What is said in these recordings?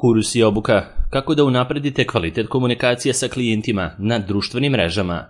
Kurs i obuka. Kako da unapredite kvalitet komunikacije sa klijentima na društvenim mrežama.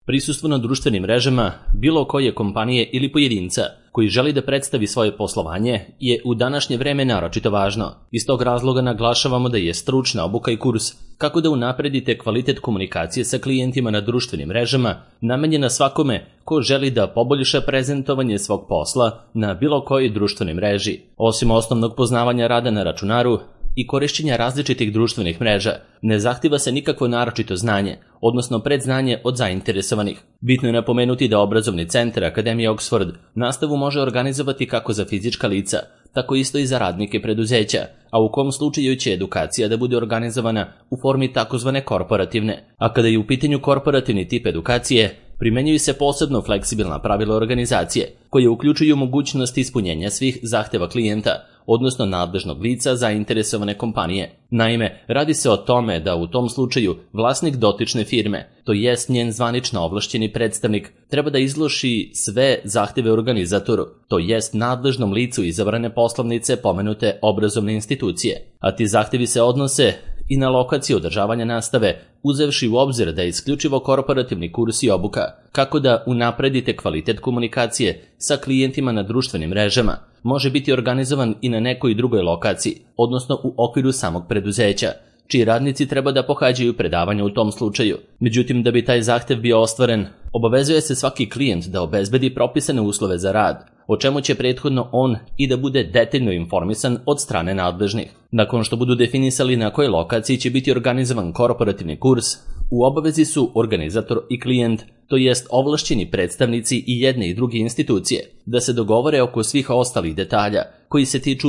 Prisustvo na društvenim mrežama bilo koje kompanije ili pojedinca koji želi da predstavi svoje poslovanje je u današnje vreme naročito važno. Iz tog razloga naglašavamo da je stručna obuka i kurs kako da unapredite kvalitet komunikacije sa klijentima na društvenim mrežama namenjena svakome ko želi da poboljša prezentovanje svog posla na bilo kojoj društvenoj mreži. Osim osnovnog poznavanja rada na računaru i korišćenja različitih društvenih mreža, ne zahtjeva se nikakvo naročito znanje, odnosno predznanje od zainteresovanih. Bitno je napomenuti da obrazovni centar Akademije Oxford nastavu može organizovati kako za fizička lica, tako isto i za radnike preduzeća, a u kom slučaju će edukacija da bude organizovana u formi takozvane korporativne. A kada je u pitanju korporativni tip edukacije, primenjuju se posebno fleksibilna pravila organizacije, koje uključuju mogućnost ispunjenja svih zahteva klijenta, odnosno nadležnog lica zainteresovane kompanije. Naime, radi se o tome da u tom slučaju vlasnik dotične firme, to jest njen zvanično ovlašćeni predstavnik, treba da izloži sve zahteve organizatoru, to jest nadležnom licu izabrane poslovnice pomenute obrazovne institucije. A ti zahtevi se odnose i na lokaciju održavanja nastave, uzevši u obzir da je isključivo korporativni kurs i obuka, kako da unapredite kvalitet komunikacije sa klijentima na društvenim mrežama, može biti organizovan i na nekoj drugoj lokaciji, odnosno u okviru samog preduzeća, čiji radnici treba da pohađaju predavanja u tom slučaju. Međutim, da bi taj zahtev bio ostvaren, obavezuje se svaki klijent da obezbedi propisane uslove za rad, o čemu će prethodno on i da bude detaljno informisan od strane nadležnih. Nakon što budu definisali na kojoj lokaciji će biti organizovan korporativni kurs, u obavezi su organizator i klijent, to jest ovlašćeni predstavnici i jedne i druge institucije, da se dogovore oko svih ostalih detalja koji se tiču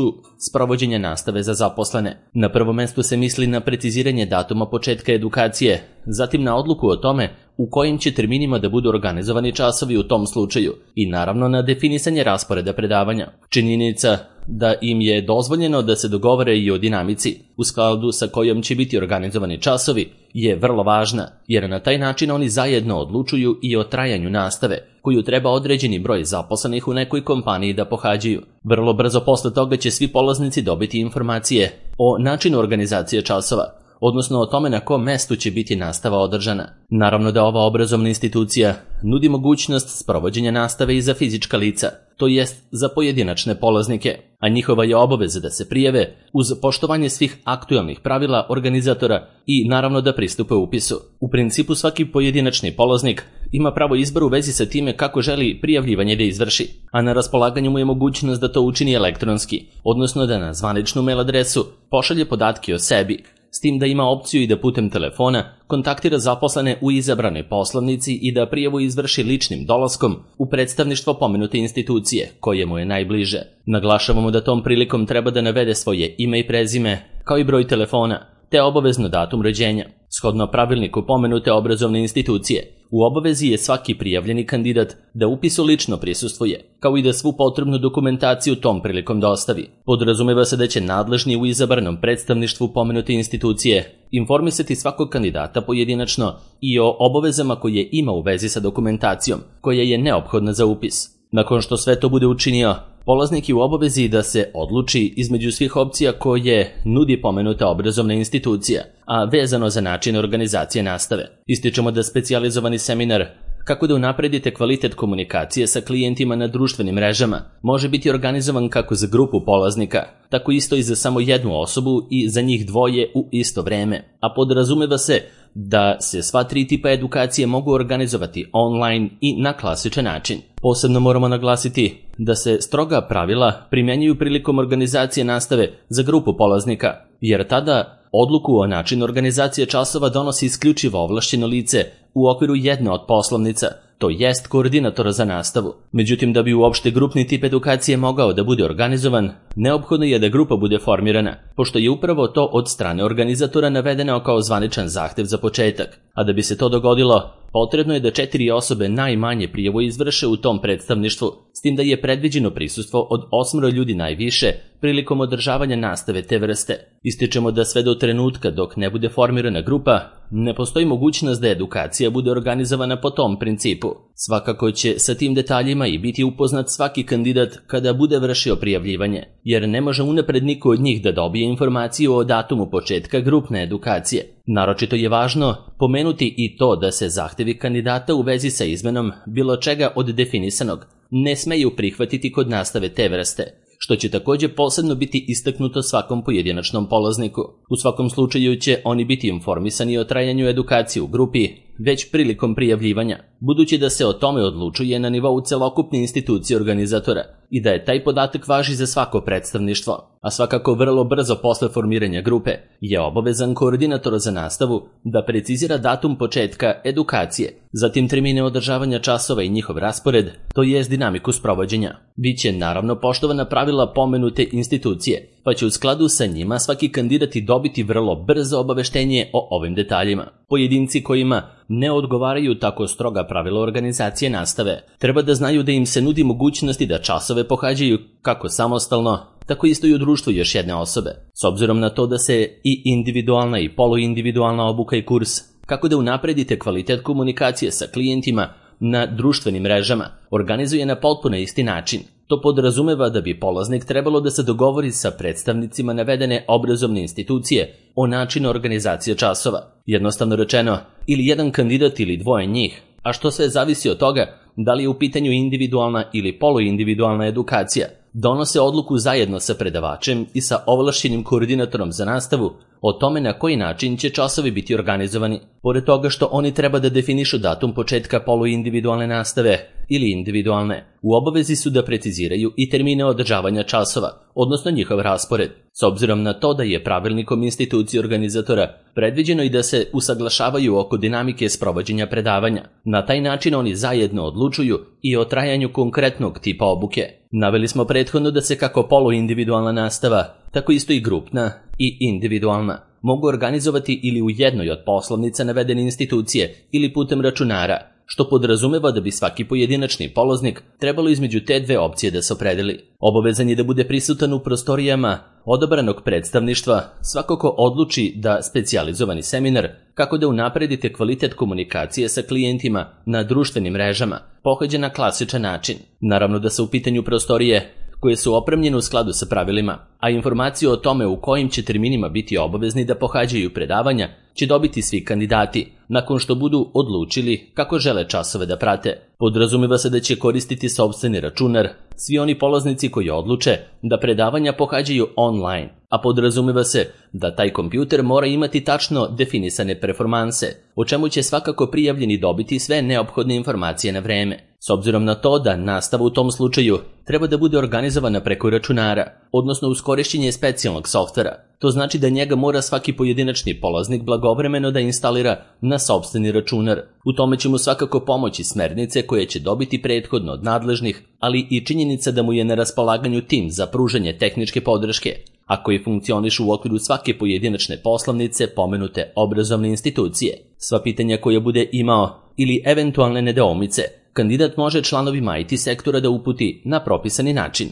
sprovođenja nastave za zaposlene. Na prvom mestu se misli na preciziranje datuma početka edukacije, zatim na odluku o tome u kojim će terminima da budu organizovani časovi u tom slučaju i naravno na definisanje rasporeda predavanja. Činjenica da im je dozvoljeno da se dogovore i o dinamici u skladu sa kojom će biti organizovani časovi je vrlo važna, jer na taj način oni zajedno odlučuju i o trajanju nastave, koju treba određeni broj zaposlenih u nekoj kompaniji da pohađaju. Vrlo brzo posle toga će svi polaznici dobiti informacije o načinu organizacije časova, odnosno o tome na kom mestu će biti nastava održana. Naravno da ova obrazovna institucija nudi mogućnost sprovođenja nastave i za fizička lica, to jest za pojedinačne polaznike, a njihova je obaveza da se prijave uz poštovanje svih aktuelnih pravila organizatora i naravno da pristupe upisu. U principu svaki pojedinačni polaznik ima pravo izbora u vezi sa time kako želi prijavljivanje da izvrši, a na raspolaganju mu je mogućnost da to učini elektronski, odnosno da na zvaničnu mail adresu pošalje podatke o sebi, s tim da ima opciju i da putem telefona kontaktira zaposlene u izabranoj poslovnici i da prijavu izvrši ličnim dolaskom u predstavništvo pomenute institucije, koje mu je najbliže. Naglašavamo da tom prilikom treba da navede svoje ime i prezime, kao i broj telefona, te obavezno datum rođenja. Shodno pravilniku pomenute obrazovne institucije, u obavezi je svaki prijavljeni kandidat da upisu lično prisustvuje, kao i da svu potrebnu dokumentaciju tom prilikom dostavi. Podrazumeva se da će nadležni u izabranom predstavništvu pomenute institucije informisati svakog kandidata pojedinačno i o obavezama koje ima u vezi sa dokumentacijom, koja je neophodna za upis. Nakon što sve to bude učinio, polaznik je u obavezi da se odluči između svih opcija koje nudi pomenuta obrazovna institucija, a vezano za način organizacije nastave. Ističemo da specijalizovani seminar kako da unapredite kvalitet komunikacije sa klijentima na društvenim mrežama može biti organizovan kako za grupu polaznika, tako isto i za samo jednu osobu i za njih dvoje u isto vreme, a podrazumeva se da se sva tri tipa edukacije mogu organizovati online i na klasičan način. Posebno moramo naglasiti da se stroga pravila primjenjuju prilikom organizacije nastave za grupu polaznika, jer tada odluku o načinu organizacije časova donosi isključivo ovlašćeno lice u okviru jedne od poslovnica, to jest koordinatora za nastavu. Međutim, da bi uopšte grupni tip edukacije mogao da bude organizovan, neophodno je da grupa bude formirana, pošto je upravo to od strane organizatora navedeno kao zvaničan zahtev za početak. A da bi se to dogodilo, potrebno je da 4 osobe najmanje prijavu izvrše u tom predstavništvu, s tim da je predviđeno prisustvo od 8 ljudi najviše prilikom održavanja nastave te vrste. Ističemo da sve do trenutka dok ne bude formirana grupa, ne postoji mogućnost da edukacija bude organizovana po tom principu. Svakako će sa tim detaljima i biti upoznat svaki kandidat kada bude vršio prijavljivanje, jer ne može unapred niko od njih da dobije informaciju o datumu početka grupne edukacije. Naročito je važno pomenuti i to da se zahtevi kandidata u vezi sa izmenom bilo čega od definisanog ne smeju prihvatiti kod nastave te vrste, što će također posebno biti istaknuto svakom pojedinačnom polazniku. U svakom slučaju će oni biti informisani o trajanju edukacije u grupi već prilikom prijavljivanja, budući da se o tome odlučuje na nivou celokupne institucije organizatora i da je taj podatak važi za svako predstavništvo, a svakako vrlo brzo posle formiranja grupe je obavezan koordinator za nastavu da precizira datum početka edukacije, zatim termine održavanja časova i njihov raspored, to jest dinamiku sprovođenja. Biće naravno poštovana pravila pomenute institucije, pa će u skladu sa njima svaki kandidat dobiti vrlo brzo obaveštenje o ovim detaljima. Pojedinci kojima ne odgovaraju tako stroga pravila organizacije nastave treba da znaju da im se nudi mogućnosti da časove pohađaju kako samostalno, tako isto i u društvu još jedne osobe, s obzirom na to da se i individualna i poluindividualna obuka i kurs kako da unapredite kvalitet komunikacije sa klijentima na društvenim mrežama organizuje na potpuno isti način. To podrazumeva da bi polaznik trebalo da se dogovori sa predstavnicima navedene obrazovne institucije o načinu organizacije časova. Jednostavno rečeno, ili jedan kandidat ili dvoje njih, a što sve zavisi od toga da li je u pitanju individualna ili poluindividualna edukacija, donose odluku zajedno sa predavačem i sa ovlašćenim koordinatorom za nastavu o tome na koji način će časovi biti organizovani. Pored toga što oni treba da definišu datum početka poluindividualne nastave ili individualne, u obavezi su da preciziraju i termine održavanja časova, odnosno njihov raspored, s obzirom na to da je pravilnikom institucije organizatora predviđeno i da se usaglašavaju oko dinamike sprovođenja predavanja. Na taj način oni zajedno odlučuju i o trajanju konkretnog tipa obuke. Naveli smo prethodno da se kako poluindividualna nastava, tako isto i grupna i individualna mogu organizovati ili u jednoj od poslovnica navedene institucije ili putem računara, što podrazumeva da bi svaki pojedinačni polaznik trebalo između te dve opcije da se opredeli. Obavezan je da bude prisutan u prostorijama odabranog predstavništva svakako odluči da specijalizovani seminar kako da unapredite kvalitet komunikacije sa klijentima na društvenim mrežama pohađa na klasičan način. Naravno da se u pitanju prostorije koje su opremljene u skladu sa pravilima, a informaciju o tome u kojim će terminima biti obavezni da pohađaju predavanja će dobiti svi kandidati, nakon što budu odlučili kako žele časove da prate. Podrazumeva se da će koristiti sopstveni računar svi oni polaznici koji odluče da predavanja pohađaju online, a podrazumeva se da taj kompjuter mora imati tačno definisane performanse, o čemu će svakako prijavljeni dobiti sve neophodne informacije na vreme. S obzirom na to da nastava u tom slučaju treba da bude organizovana preko računara, odnosno uz korišćenje specijalnog softvera, to znači da njega mora svaki pojedinačni polaznik blagovremeno da instalira na sopstveni računar. U tome će mu svakako pomoći smernice koje će dobiti prethodno od nadležnih, ali i činjenica da mu je na raspolaganju tim za pružanje tehničke podrške, a koji funkcionišu u okviru svake pojedinačne poslovnice pomenute obrazovne institucije. Sva pitanja koje bude imao ili eventualne nedoumice, kandidat može članovima IT sektora da uputi na propisani način.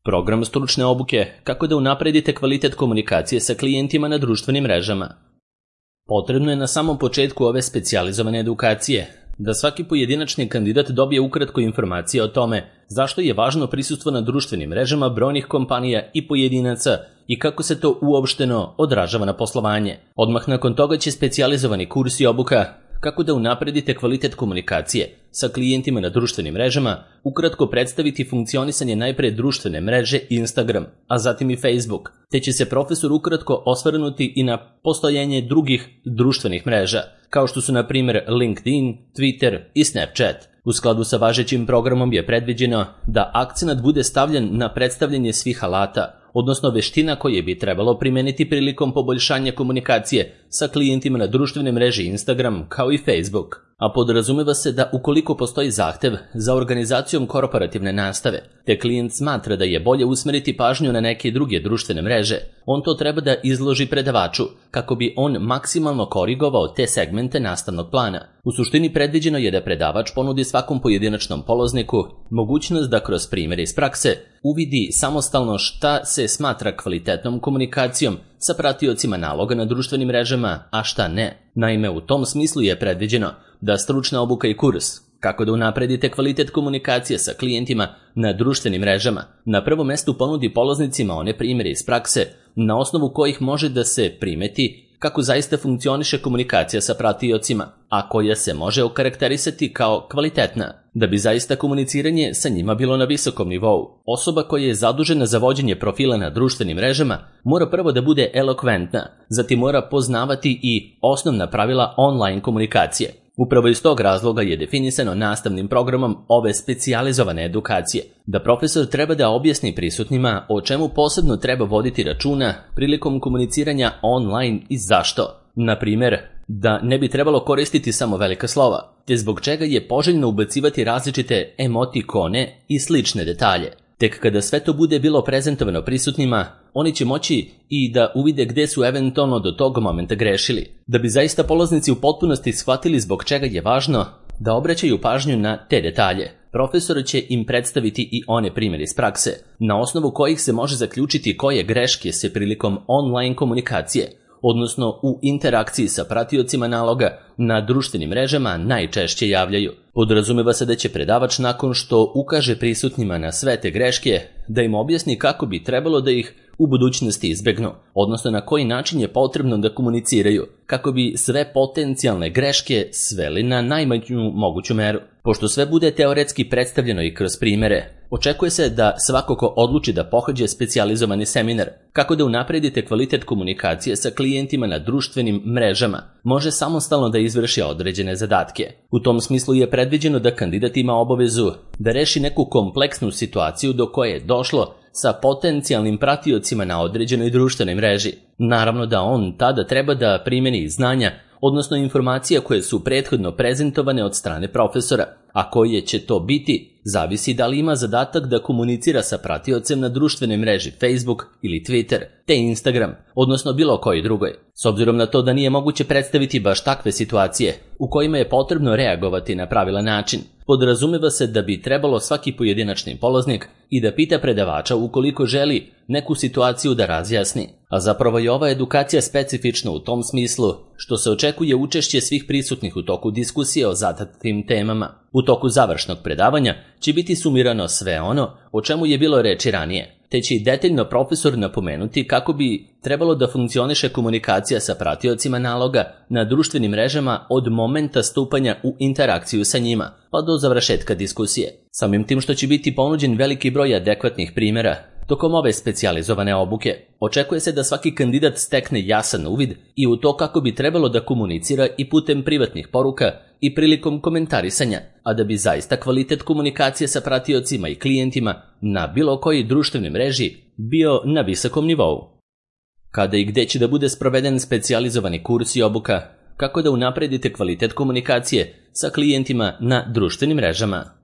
Program stručne obuke kako da unapredite kvalitet komunikacije sa klijentima na društvenim mrežama. Potrebno je na samom početku ove specijalizovane edukacije da svaki pojedinačni kandidat dobije ukratko informacije o tome zašto je važno prisustvo na društvenim mrežama brojnih kompanija i pojedinaca i kako se to uopšteno odražava na poslovanje. Odmah nakon toga će specijalizovani kurs i obuka kako da unapredite kvalitet komunikacije sa klijentima na društvenim mrežama ukratko predstaviti funkcionisanje najpre društvene mreže Instagram, a zatim i Facebook, te će se profesor ukratko osvrnuti i na postojanje drugih društvenih mreža, kao što su na primjer LinkedIn, Twitter i Snapchat. U skladu sa važećim programom je predviđeno da akcenat bude stavljen na predstavljanje svih alata, odnosno veština koje bi trebalo primeniti prilikom poboljšanja komunikacije sa klijentima na društvene mreže Instagram kao i Facebook. A podrazumeva se da ukoliko postoji zahtev za organizacijom korporativne nastave, te klijent smatra da je bolje usmeriti pažnju na neke druge društvene mreže, on to treba da izloži predavaču kako bi on maksimalno korigovao te segmente nastavnog plana. U suštini predviđeno je da predavač ponudi svakom pojedinačnom polazniku mogućnost da kroz primjere iz prakse uvidi samostalno šta se smatra kvalitetnom komunikacijom sa pratiocima naloga na društvenim mrežama, a šta ne. Naime, u tom smislu je predviđeno da stručna obuka i kurs Kako da unapredite kvalitet komunikacije sa klijentima na društvenim mrežama? Na prvom mestu ponudi polaznicima one primjere iz prakse na osnovu kojih može da se primeti kako zaista funkcioniše komunikacija sa pratiocima, a koja se može okarakterisati kao kvalitetna. Da bi zaista komuniciranje sa njima bilo na visokom nivou, osoba koja je zadužena za vođenje profila na društvenim mrežama mora prvo da bude elokventna, zatim mora poznavati i osnovna pravila online komunikacije. Upravo iz tog razloga je definisano nastavnim programom ove specijalizovane edukacije, da profesor treba da objasni prisutnima o čemu posebno treba voditi računa prilikom komuniciranja online i zašto. Na primjer, da ne bi trebalo koristiti samo velika slova, te zbog čega je poželjno ubacivati različite emotikone i slične detalje. Tek kada sve to bude bilo prezentovano prisutnima, oni će moći i da uvide gde su eventualno do tog momenta grešili. Da bi zaista polaznici u potpunosti shvatili zbog čega je važno da obraćaju pažnju na te detalje, profesor će im predstaviti i one primjere iz prakse, na osnovu kojih se može zaključiti koje greške se prilikom online komunikacije, odnosno u interakciji sa pratiocima naloga na društvenim mrežama najčešće javljaju. Podrazumeva se da će predavač nakon što ukaže prisutnima na sve te greške, da im objasni kako bi trebalo da ih u budućnosti izbegnu, odnosno na koji način je potrebno da komuniciraju, kako bi sve potencijalne greške sveli na najmanju moguću meru. Pošto sve bude teoretski predstavljeno i kroz primjere, očekuje se da svako ko odluči da pohađa specijalizovani seminar kako da unapredite kvalitet komunikacije sa klijentima na društvenim mrežama, može samostalno da izvrši određene zadatke. U tom smislu je predviđeno da kandidat ima obavezu da reši neku kompleksnu situaciju do koje je došlo sa potencijalnim pratiocima na određenoj društvenoj mreži. Naravno da on tada treba da primeni znanja, odnosno informacije koje su prethodno prezentovane od strane profesora, a koje će to biti, zavisi da li ima zadatak da komunicira sa pratiocem na društvenoj mreži Facebook ili Twitter, te Instagram, odnosno bilo koji drugoj. S obzirom na to da nije moguće predstaviti baš takve situacije u kojima je potrebno reagovati na pravilan način, podrazumeva se da bi trebalo svaki pojedinačni polaznik i da pita predavača ukoliko želi neku situaciju da razjasni. A zapravo je ova edukacija specifična u tom smislu što se očekuje učešće svih prisutnih u toku diskusije o zadatim temama. U toku završnog predavanja će biti sumirano sve ono o čemu je bilo reči ranije, te će i detaljno profesor napomenuti kako bi trebalo da funkcioniše komunikacija sa pratiocima naloga na društvenim mrežama od momenta stupanja u interakciju sa njima, pa do završetka diskusije. Samim tim što će biti ponuđen veliki broj adekvatnih primjera tokom ove specijalizovane obuke, očekuje se da svaki kandidat stekne jasan uvid i u to kako bi trebalo da komunicira i putem privatnih poruka i prilikom komentarisanja, a da bi zaista kvalitet komunikacije sa pratiocima i klijentima na bilo koji društvenoj mreži bio na visokom nivou. Kada i gde će da bude sproveden specijalizovani kurs i obuka, kako da unapredite kvalitet komunikacije sa klijentima na društvenim mrežama?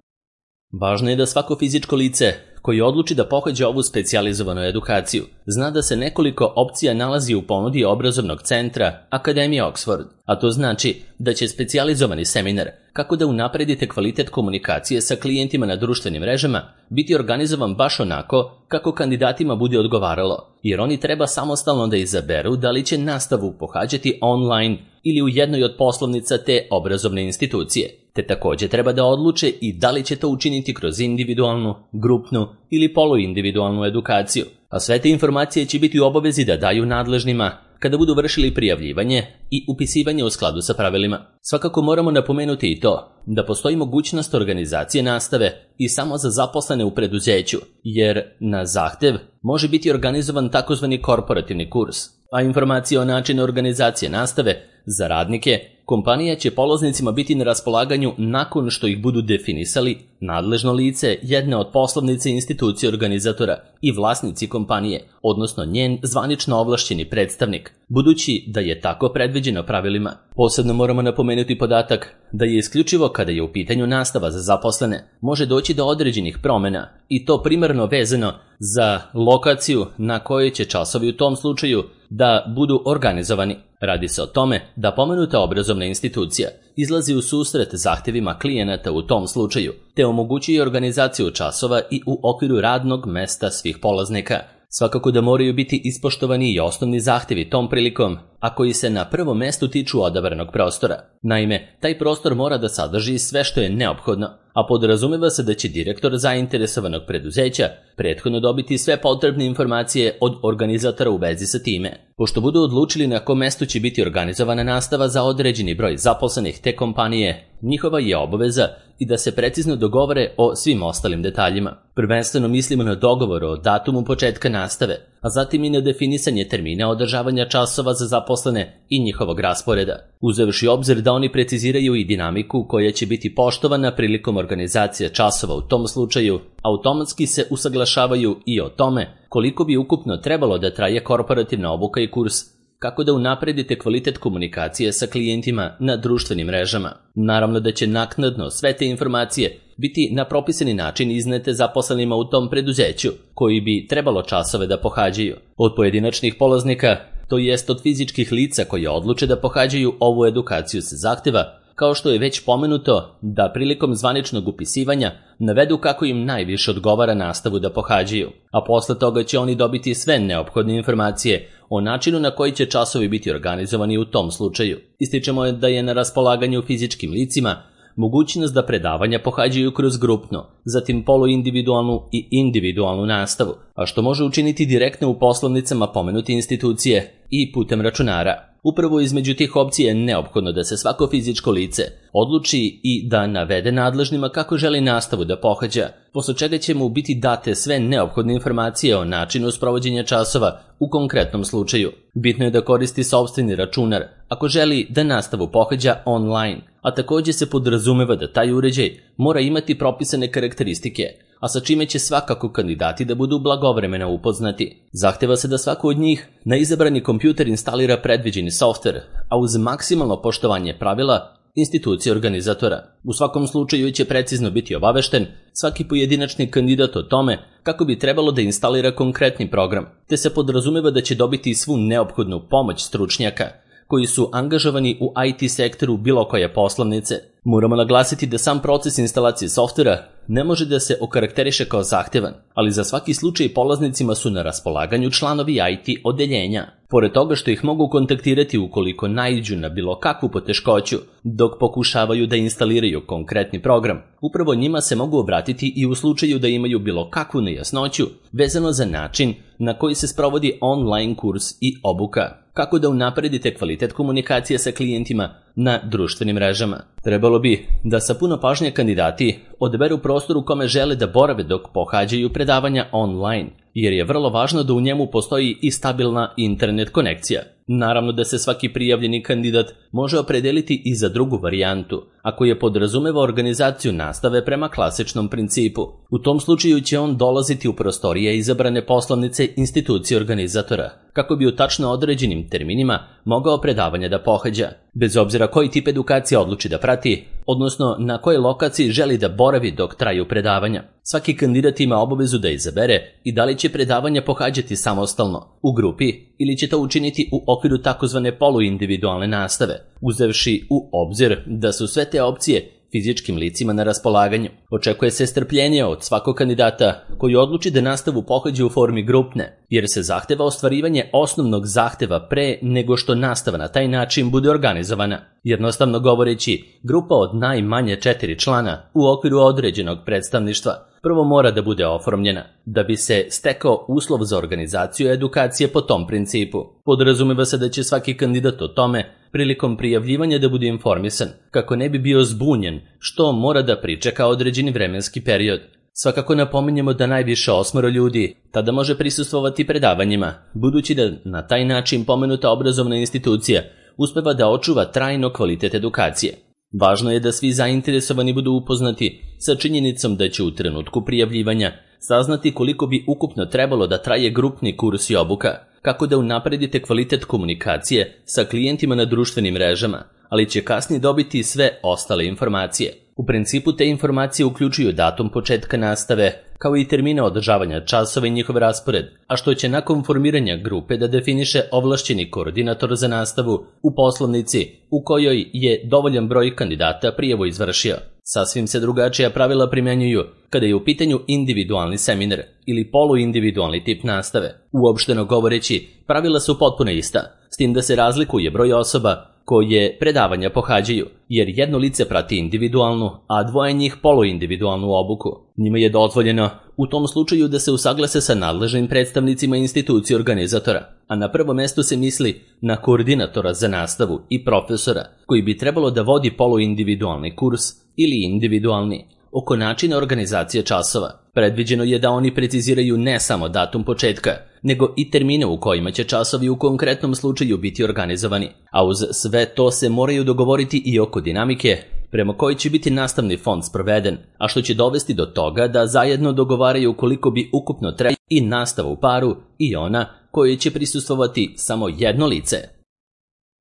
Važno je da svako fizičko lice koji odluči da pohađa ovu specijalizovanu edukaciju zna da se nekoliko opcija nalazi u ponudi obrazovnog centra Akademije Oxford, a to znači da će specijalizovani seminar kako da unapredite kvalitet komunikacije sa klijentima na društvenim mrežama biti organizovan baš onako kako kandidatima bude odgovaralo, jer oni treba samostalno da izaberu da li će nastavu pohađati online ili u jednoj od poslovnica te obrazovne institucije, te također treba da odluče i da li će to učiniti kroz individualnu, grupnu ili poluindividualnu edukaciju, a sve te informacije će biti u obavezi da daju nadležnima kada budu vršili prijavljivanje i upisivanje u skladu sa pravilima. Svakako moramo napomenuti i to da postoji mogućnost organizacije nastave i samo za zaposlene u preduzeću, jer na zahtev može biti organizovan takozvani korporativni kurs, a informacije o načinu organizacije nastave za radnike kompanija će polaznicima biti na raspolaganju nakon što ih budu definisali nadležno lice jedne od poslovnice institucije organizatora i vlasnici kompanije, odnosno njen zvanično ovlašćeni predstavnik, budući da je tako predviđeno pravilima. Posebno moramo napomenuti podatak da je isključivo kada je u pitanju nastava za zaposlene može doći do određenih promjena i to primarno vezano za lokaciju na kojoj će časovi u tom slučaju da budu organizovani. Radi se o tome da pomenuta obrazovna institucija izlazi u susret zahtjevima klijenata u tom slučaju, te omogućuje organizaciju časova i u okviru radnog mesta svih polaznika. Svakako da moraju biti ispoštovani i osnovni zahtjevi tom prilikom, a koji se na prvom mestu tiču odabranog prostora. Naime, taj prostor mora da sadrži sve što je neophodno, a podrazumeva se da će direktor zainteresovanog preduzeća prethodno dobiti sve potrebne informacije od organizatora u vezi sa time. Pošto budu odlučili na kom mestu će biti organizovana nastava za određeni broj zaposlenih te kompanije, njihova je obaveza i da se precizno dogovore o svim ostalim detaljima. Prvenstveno mislimo na dogovor o datumu početka nastave, a zatim i na definisanje termina održavanja časova za zaposlene i njihovog rasporeda, uzevši obzir da oni preciziraju i dinamiku koja će biti poštovana prilikom organizacije časova u tom slučaju, automatski se usaglašavaju i o tome koliko bi ukupno trebalo da traje korporativna obuka i kurs, kako da unapredite kvalitet komunikacije sa klijentima na društvenim mrežama. Naravno da će naknadno sve te informacije biti na propisani način iznete zaposlenima u tom preduzeću, koji bi trebalo časove da pohađaju. Od pojedinačnih polaznika, to jest od fizičkih lica koje odluče da pohađaju ovu edukaciju se zahteva, kao što je već pomenuto, da prilikom zvaničnog upisivanja navedu kako im najviše odgovara nastavu da pohađaju, a posle toga će oni dobiti sve neophodne informacije o načinu na koji će časovi biti organizovani u tom slučaju. Ističemo da je na raspolaganju fizičkim licima mogućnost da predavanja pohađaju kroz grupnu, zatim poluindividualnu i individualnu nastavu, a što može učiniti direktno u poslovnicama pomenute institucije i putem računara. Upravo između tih opcija je neophodno da se svako fizičko lice odluči i da navede nadležnima kako želi nastavu da pohađa, posle čega će mu biti date sve neophodne informacije o načinu sprovođenja časova u konkretnom slučaju. Bitno je da koristi sopstveni računar ako želi da nastavu pohađa online, a također se podrazumeva da taj uređaj mora imati propisane karakteristike, a sa čime će svakako kandidati da budu blagovremeno upoznati. Zahteva se da svako od njih na izabrani kompjuter instalira predviđeni softver, a uz maksimalno poštovanje pravila institucije organizatora. U svakom slučaju će precizno biti obavešten svaki pojedinačni kandidat o tome kako bi trebalo da instalira konkretni program, te se podrazumeva da će dobiti svu neophodnu pomoć stručnjaka koji su angažovani u IT sektoru bilo koje poslovnice. Moramo naglasiti da sam proces instalacije softvera ne može da se okarakteriše kao zahtevan, ali za svaki slučaj polaznicima su na raspolaganju članovi IT odeljenja. Pored toga što ih mogu kontaktirati ukoliko naiđu na bilo kakvu poteškoću dok pokušavaju da instaliraju konkretni program, upravo njima se mogu obratiti i u slučaju da imaju bilo kakvu nejasnoću vezano za način na koji se sprovodi online kurs i obuka, kako da unapredite kvalitet komunikacije sa klijentima na društvenim mrežama. Trebalo bi da sa puno pažnje kandidati odaberu prostor u kome žele da borave dok pohađaju predavanja online, jer je vrlo važno da u njemu postoji i stabilna internet konekcija. Naravno da se svaki prijavljeni kandidat može opredeliti i za drugu varijantu, ako je podrazumeva organizaciju nastave prema klasičnom principu. U tom slučaju će on dolaziti u prostorije izabrane poslovnice institucije organizatora, kako bi u tačno određenim terminima mogao predavanja da pohađa, bez obzira koji tip edukacije odluči da prati, odnosno na kojoj lokaciji želi da boravi dok traju predavanja. Svaki kandidat ima obavezu da izabere i da li će predavanja pohađati samostalno, u grupi, ili će to učiniti u okviru takozvane poluindividualne nastave, uzevši u obzir da su sve te opcije fizičkim licima na raspolaganju. Očekuje se strpljenje od svakog kandidata koji odluči da nastavu pohađa u formi grupne, jer se zahteva ostvarivanje osnovnog zahteva pre nego što nastava na taj način bude organizovana. Jednostavno govoreći, grupa od najmanje 4 člana u okviru određenog predstavništva prvo mora da bude oformljena, da bi se stekao uslov za organizaciju edukacije po tom principu. Podrazumeva se da će svaki kandidat o tome prilikom prijavljivanja da bude informisan, kako ne bi bio zbunjen, što mora da pričeka određeni vremenski period. Svakako napominjemo da najviše 8 ljudi tada može prisustvovati predavanjima, budući da na taj način pomenuta obrazovna institucija uspeva da očuva trajno kvalitet edukacije. Važno je da svi zainteresovani budu upoznati sa činjenicom da će u trenutku prijavljivanja saznati koliko bi ukupno trebalo da traje grupni kurs i obuka, kako da unapredite kvalitet komunikacije sa klijentima na društvenim mrežama, ali će kasnije dobiti sve ostale informacije. U principu te informacije uključuju datum početka nastave, kao i termine održavanja časova i njihov raspored, a što će nakon formiranja grupe da definiše ovlašćeni koordinator za nastavu u poslovnici u kojoj je dovoljan broj kandidata prijavu izvršio. Sasvim se drugačija pravila primjenjuju kada je u pitanju individualni seminar ili poluindividualni tip nastave. Uopšteno govoreći, pravila su potpuno ista, s tim da se razlikuje broj osoba koje predavanja pohađaju, jer jedno lice prati individualnu, a dvoje njih poluindividualnu obuku. Njima je dozvoljeno u tom slučaju da se usaglase sa nadležnim predstavnicima institucije organizatora, a na prvo mesto se misli na koordinatora za nastavu i profesora koji bi trebalo da vodi poluindividualni kurs ili individualni oko načina organizacije časova. Predviđeno je da oni preciziraju ne samo datum početka, nego i termine u kojima će časovi u konkretnom slučaju biti organizovani, a uz sve to se moraju dogovoriti i oko dinamike prema kojoj će biti nastavni fond sproveden, a što će dovesti do toga da zajedno dogovaraju koliko bi ukupno trajala i nastava u paru i ona kojoj će prisustvovati samo jedno lice.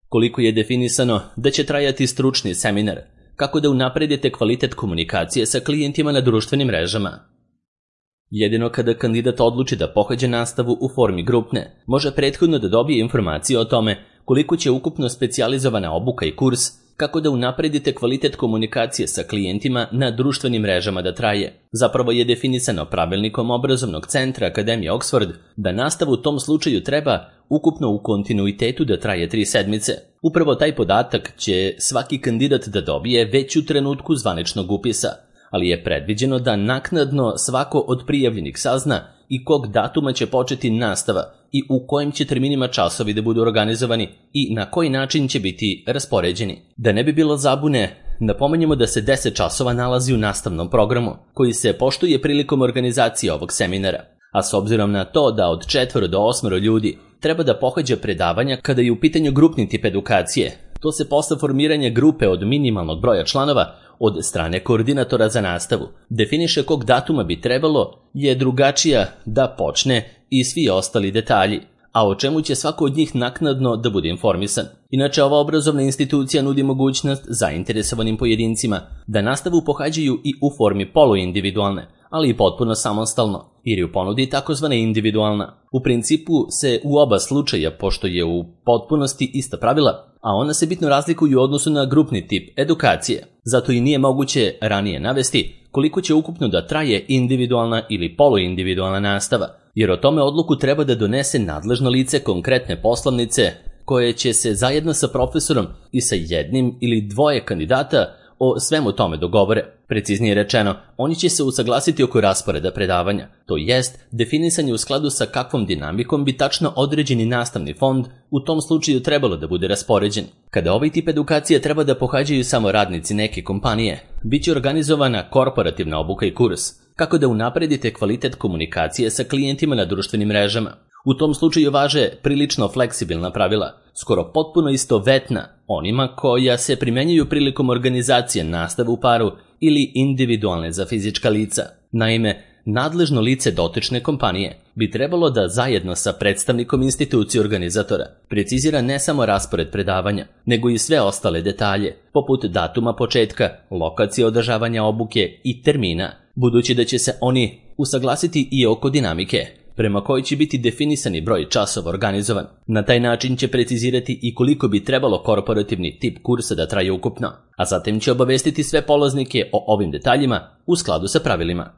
Koliko je definisano da će trajati stručni seminar, kako da unapredite kvalitet komunikacije sa klijentima na društvenim mrežama. Jedino kada kandidat odluči da pohađa nastavu u formi grupne, može prethodno da dobije informacije o tome koliko će ukupno specijalizovana obuka i kurs, kako da unapredite kvalitet komunikacije sa klijentima na društvenim mrežama da traje. Zapravo je definisano pravilnikom obrazovnog centra Akademije Oxford da nastava u tom slučaju treba ukupno u kontinuitetu da traje 3 sedmice. Upravo taj podatak će svaki kandidat da dobije već u trenutku zvaničnog upisa, ali je predviđeno da naknadno svako od prijavljenih sazna i kog datuma će početi nastava i u kojim će terminima časovi da budu organizovani i na koji način će biti raspoređeni. Da ne bi bilo zabune, napomenjemo da se 10 časova nalazi u nastavnom programu, koji se poštuje prilikom organizacije ovog seminara, a s obzirom na to da od 4 do 8 ljudi treba da pohađa predavanja kada je u pitanju grupni tip edukacije, to se posle formiranja grupe od minimalnog broja članova od strane koordinatora za nastavu definiše kog datuma bi trebalo je drugačija da počne i svi ostali detalji, a o čemu će svako od njih naknadno da bude informisan. Inače, ova obrazovna institucija nudi mogućnost zainteresovanim pojedincima da nastavu pohađaju i u formi poluindividualne, ali i potpuno samostalno, jer je u ponudi takozvana individualna. U principu se u oba slučaja, pošto je u potpunosti ista pravila, a ona se bitno razlikuju u odnosu na grupni tip edukacije. Zato i nije moguće ranije navesti koliko će ukupno da traje individualna ili poluindividualna nastava, jer o tome odluku treba da donese nadležno lice konkretne poslovnice koje će se zajedno sa profesorom i sa jednim ili dvoje kandidata o svemu tome dogovore. Preciznije rečeno, oni će se usaglasiti oko rasporeda predavanja, to jest definisanje u skladu sa kakvom dinamikom bi tačno određeni nastavni fond u tom slučaju trebalo da bude raspoređen. Kada ovaj tip edukacije treba da pohađaju samo radnici neke kompanije, bit će organizovana korporativna obuka i kurs, kako da unapredite kvalitet komunikacije sa klijentima na društvenim mrežama. U tom slučaju važe prilično fleksibilna pravila, skoro potpuno istovetna onima koja se primenjuju prilikom organizacije nastave u paru ili individualne za fizička lica. Naime, nadležno lice dotične kompanije bi trebalo da zajedno sa predstavnikom institucije organizatora precizira ne samo raspored predavanja, nego i sve ostale detalje, poput datuma početka, lokacije održavanja obuke i termina, budući da će se oni usaglasiti i oko dinamike, prema kojoj će biti definisani broj časova organizovan. Na taj način će precizirati i koliko bi trebalo korporativni tip kursa da traje ukupno, a zatim će obavestiti sve polaznike o ovim detaljima u skladu sa pravilima.